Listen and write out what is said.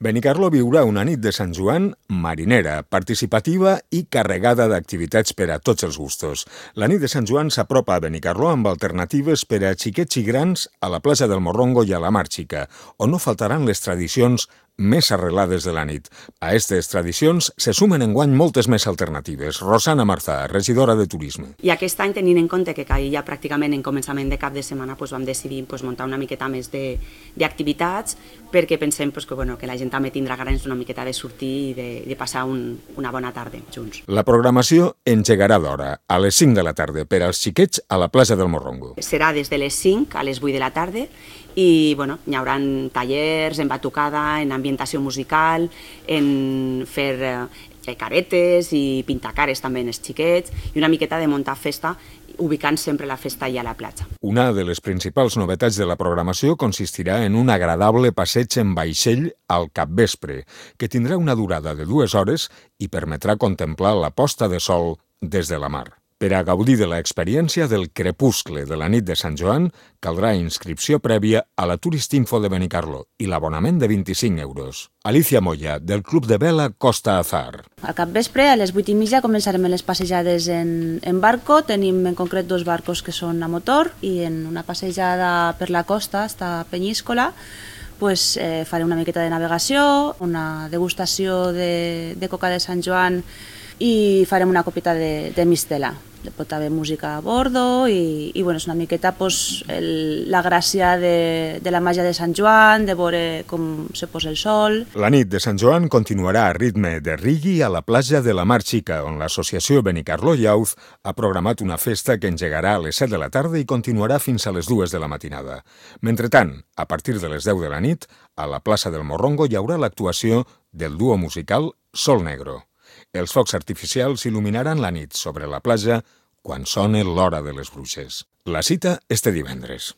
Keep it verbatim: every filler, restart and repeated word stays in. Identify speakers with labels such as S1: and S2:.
S1: Benicarló viurà una nit de Sant Joan marinera, participativa i carregada d'activitats per a tots els gustos. La nit de Sant Joan s'apropa a Benicarló amb alternatives per a xiquets i grans a la plaça del Morrongo i a la Mar Xica, on no faltaran les tradicions més arrelades de la nit. A aquestes tradicions se sumen enguany moltes més alternatives. Rosana Marzà, regidora de Turisme.
S2: I aquest any, tenint en compte que caia pràcticament en començament de cap de setmana, doncs vam decidir doncs, muntar una miqueta més d'activitats, perquè pensem doncs, que, bueno, que la gent també tindrà ganes una miqueta de sortir i de, de passar un, una bona tarda junts.
S1: La programació engegarà d'hora, a les cinc de la tarda, per als xiquets a la plaça del Morrongo.
S2: Serà des de les cinc a les vuit de la tarda i bueno, hi haurà tallers en batucada, en ambientació musical, en fer eh, caretes i pintar cares també en els xiquets i una miqueta de muntar festa, ubicant sempre la festa allà a la platja.
S1: Una de les principals novetats de la programació consistirà en un agradable passeig en vaixell al capvespre, que tindrà una durada de dues hores i permetrà contemplar la posta de sol des de la mar. Per a gaudir de l'experiència del crepuscle de la nit de Sant Joan, caldrà inscripció prèvia a la Turistinfo de Benicarló i l'abonament de vint-i-cinc euros. Alicia Moya, del Club de Vela Costa Azar.
S3: Al capvespre, a les vuit i mitja, començarem les passejades en, en barco. Tenim en concret dos barcos que són a motor i en una passejada per la costa, hasta Penyíscola, pues, eh, faré una miqueta de navegació, una degustació de, de coca de Sant Joan i farem una copeta de, de mistela. Pot haver música a bordo i, i bueno, és una miqueta pues, el, la gràcia de, de la màgia de Sant Joan, de veure com se posa el sol.
S1: La nit de Sant Joan continuarà a ritme de reggae a la platja de la Mar Xica, on l'associació Benicarló Youth ha programat una festa que engegarà a les set de la tarda i continuarà fins a les dues de la matinada. Mentrestant, a partir de les deu de la nit, a la plaça del Morrongo hi haurà l'actuació del duo musical Sol Negro. Els focs artificials il·luminaran la nit sobre la platja quan sona l'hora de les bruixes. La cita este divendres.